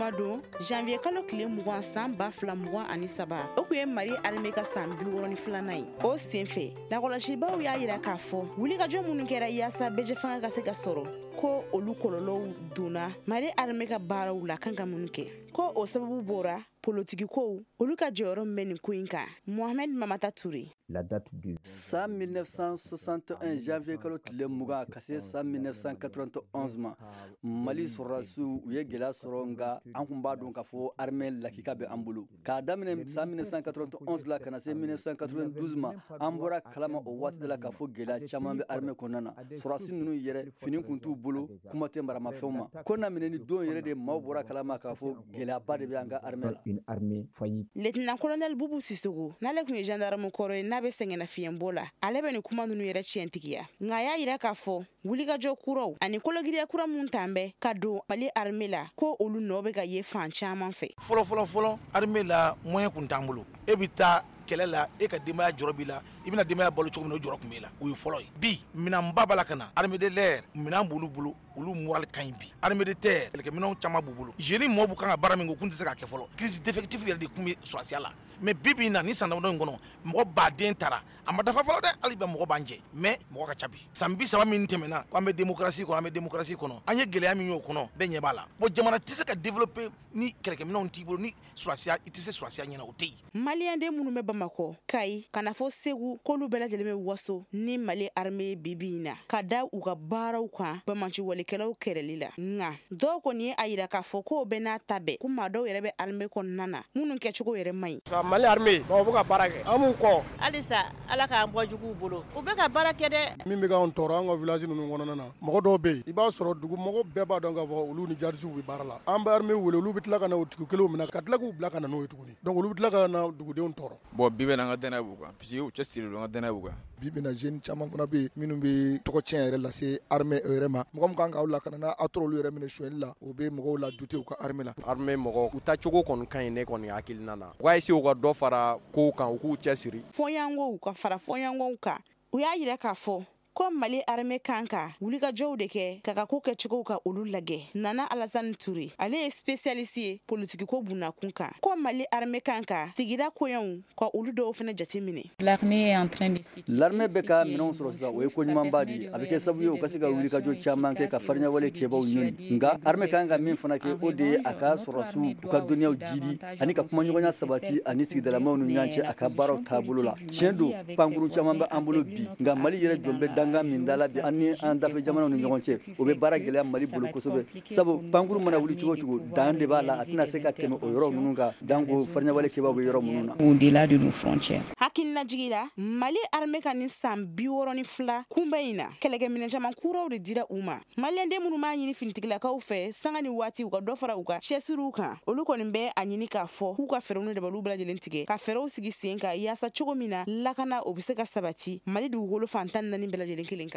Jumadon, janvier kalo tile 20, san 2023, o tun ye Mali armée ka san 62nan ye. O senfɛ, lakɔlɔsibaw y'a yira k'a fɔ wulikajɔ minnu kɛra yaasa bɛɛjɛfanga ka se ka sɔrɔ, ko olu kɔlɔlɔw donna Mali armée ka baaraw la kan ka minnu kɛ, ko o sababu bɔra politikikow, olu ka jɔyɔrɔ min bɛ nin ko in kan. Mohamed Mamata Touré. San 1961 janvier kalo tile 20 ka se san 1991 ma, Mali sɔrɔdasiw u ye gɛlɛya sɔrɔ, nka an kun b'a dɔn k'a fɔ armée lakika bɛ an bolo. K'a daminɛ san 1991 la ka na se 1992 ma, an bɔra kalama o waati de la k'a fɔ gɛlɛya caman bɛ armée kɔnɔna na. Sɔrɔdasi ninnu yɛrɛ, fini kun t'u bolo, kuma tɛ maramafɛnw ma. Ko na minɛ ni don yɛrɛ de, maaw bɔra kalama k'a fɔ gɛlɛyaba de bɛ an ka armée la. Lieutenant colonel Bubu Sisoko, n'ale tun ye gendarme kɔrɔ ye, n'a bɛ sɛgɛnnafiɲɛbɔ la, ale bɛ nin kuma ninnu yɛrɛ tiɲɛtigiya. Nka a y'a yira k'a fɔ wulikajɔ kuraw ani kologiriya kura mun tan bɛ ka don Mali armée la, ko olu nɔ bɛ ka ye fan caman fɛ. Fɔlɔ fɔlɔ fɔlɔ, armée la, moyen kun t'an bolo. E bɛ taa kɛlɛ la, e ka denbaya jɔrɔ b'i la, i bɛna denbaya balo cogo min na, o jɔrɔ tun b'e la. O ye fɔlɔ ye. Bi, minɛnba b'a la ka na. Armée de l'air, minɛn b'olu bolo, olu moral ka ɲi bi. Armée de terre, kɛlɛkɛminɛnw caman b'u bolo. Jeunes mɔɔw b'u kan ka baara min kɛ, u kun tɛ se k'a kɛ fɔlɔ. Crise d'effectif yɛrɛ de tun bɛ sɔrɔdasiya la. Mais bi bi in na, ni san damadɔ in kɔnɔ, mɔgɔ baden taara, a ma dafa fɔlɔ dɛ, hali bi mɔgɔ b'an jɛ, mais mɔgɔ ka ca bi. San 30 min tɛmɛna ko an bɛ démocratie kɔnɔ, an bɛ démocratie kɔnɔ, an ye gɛlɛya min y'o kɔnɔ, bɛɛ ɲɛ b'a la. Bon, jamana tɛ se ka développer ni kɛlɛkɛminɛnw t'i bolo, ni sɔrɔdasiya, i tɛ se sɔrɔdasiya ɲɛna, o tɛ yen. Maliyɛnden minnu bɛ Bamakɔ, Kayi, ka na fɔ Segu, k'olu bɛɛ lajɛlen bɛ waso ni Mali armée bi bi in na, ka da u ka baaraw kan banbaanciwalekɛlaw kɛlɛli la. Nka dɔw kɔni ye a yira k'a fɔ k'o bɛɛ n'a ta bɛɛ, ko maa dɔw yɛrɛ bɛ armée kɔnɔna na minnu kɛcogo yɛrɛ man ɲi. Mali armée, bon, u bɛ ka baara kɛ, an b'u kɔ. Halisa Ala k'an bɔ juguw bolo, u bɛ ka baara kɛ dɛ. Min bɛ k'anw tɔɔrɔ an ka village ninnu kɔnɔna na, mɔgɔ dɔw bɛ yen, i b'a sɔrɔ dugu mɔgɔ bɛɛ b'a dɔn k'a fɔ olu ni djihadistes bɛ baara la. An bɛ armée wele, olu bɛ tila ka na o tigi kelenw minɛ ka tila k'u bila ka na n'o ye tuguni. Donc olu bɛ tila ka na dugudenw tɔɔrɔ. Bon, bi bɛ na, an ka danaya b'u kan parce que u cɛsirilen don, an ka danaya b'u kan. Bi bi na, jeune caman fana bɛ yen minnu bɛ tɔgɔ tiɲɛ yɛrɛ lase armée yɛrɛ ma. Mɔgɔ min kan k'aw lakana, n'a aw tora olu yɛrɛ minɛ sonyɛli la, o bɛ mɔgɔw la douter u ka armée la. Armée mɔgɔw, u taacogo kɔni ka ɲi ne kɔni hakilina na. U k'a essayer u ka dɔ fara kow kan, u k'u cɛsiri. Fɔɲɔgɔnw ka fara fɔɲɔgɔnw kan, u y'a yira k'a fɔ ko Mali armée kan ka wulikajɔw de kɛ ka ka ko kɛcogow ka olu lajɛ. Nana Alasani Ture, ale ye spécialiste ye politikiko bunakun kan, ko Mali armée kan ka sigida koɲɛw ka olu dɔw fana jate minɛ. L'armée bɛ ka minɛnw sɔrɔ sisan, o ye ko ɲumanba de ye. A bɛ kɛ sababu ye u ka se ka wulikajɔ caman kɛ ka farinyawale kɛbaw ɲɔni. Nka armée kan ka min fana kɛ, o de ye a ka sɔrɔdasiw u ka dɔnniyaw jidi ani ka kumaɲɔgɔnya sabati ani sigidalamaw ni ɲɔgɔn cɛ a ka baaraw taabolo la. Tiɲɛ don, pankuru caman bɛ an bolo bi, nka Mali yɛrɛ jɔn bɛ dankan min da la bi an ni an dafɛ jamanaw ni ɲɔgɔn cɛ, o bɛ baara gɛlɛya Mali bolo kosɛbɛ, sabu pankuru mana wuli cogo cogo, dan de b'a la, a tɛna se ka tɛmɛ o yɔrɔ ninnu kan, janko farinyawale kɛbaw bɛ yɔrɔ minnu na. Au-delà de nos frontières. Hakilinajigi la, Mali armée ka nin san 62 kunbɛn in na, kɛlɛkɛminɛn caman kuraw de dira u ma. Maliyɛnden minnu b'a ɲini finitigilakaw fɛ sanga ni waati u ka dɔ fara u ka cɛsiriw kan, olu kɔni bɛ a ɲini k'a fɔ k'u ka fɛɛrɛw ni dabaliw bɛɛ lajɛlen tigɛ ka fɛɛrɛw sigi sen kan yaasa cogo min na lakana o bɛ se ka sabati Mali dugukolo fan 14 bɛɛ lajɛlen kelen kan.